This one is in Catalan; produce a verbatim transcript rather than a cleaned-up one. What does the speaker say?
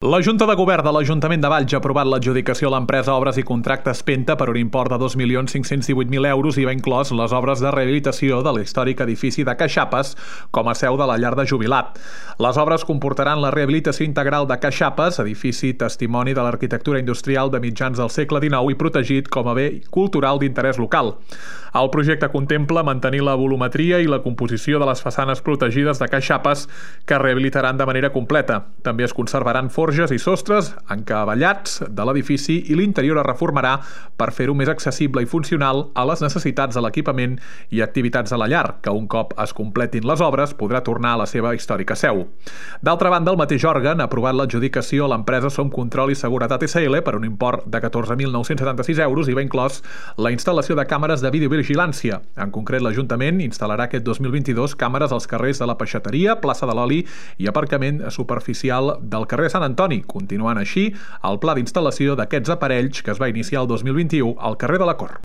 La Junta de Govern de l'Ajuntament de Valls ha aprovat l'adjudicació a l'empresa Obres i Contractes Penta per un import de dos milions cinc-cents divuit mil euros i va inclòs les obres de rehabilitació de l'històric edifici de Caixapes com a seu de la llar de jubilat. Les obres comportaran la rehabilitació integral de Caixapes, edifici testimoni de l'arquitectura industrial de mitjans del segle dinou i protegit com a bé cultural d'interès local. El projecte contempla mantenir la volumetria i la composició de les façanes protegides de Caixapes que es rehabilitaran de manera completa. També es conservaran forges i sostres encavallats de l'edifici i l'interior es reformarà per fer-ho més accessible i funcional a les necessitats de l'equipament i activitats de la llar, que un cop es completin les obres podrà tornar a la seva històrica seu. D'altra banda, el mateix òrgan ha aprovat l'adjudicació a l'empresa Som Control i Seguretat S L per un import de catorze mil nou-cents setanta-sis euros i va inclòs la instal·lació de càmeres de videovigilància. En concret, l'Ajuntament instal·larà aquest dos mil vint-i-dos càmeres als carrers de la Peixateria, plaça de l'Oli i aparcament superficial del carrer Sant Antoni, continuant així el pla d'instal·lació d'aquests aparells que es va iniciar el dos mil vint-i-u al carrer de la Cor.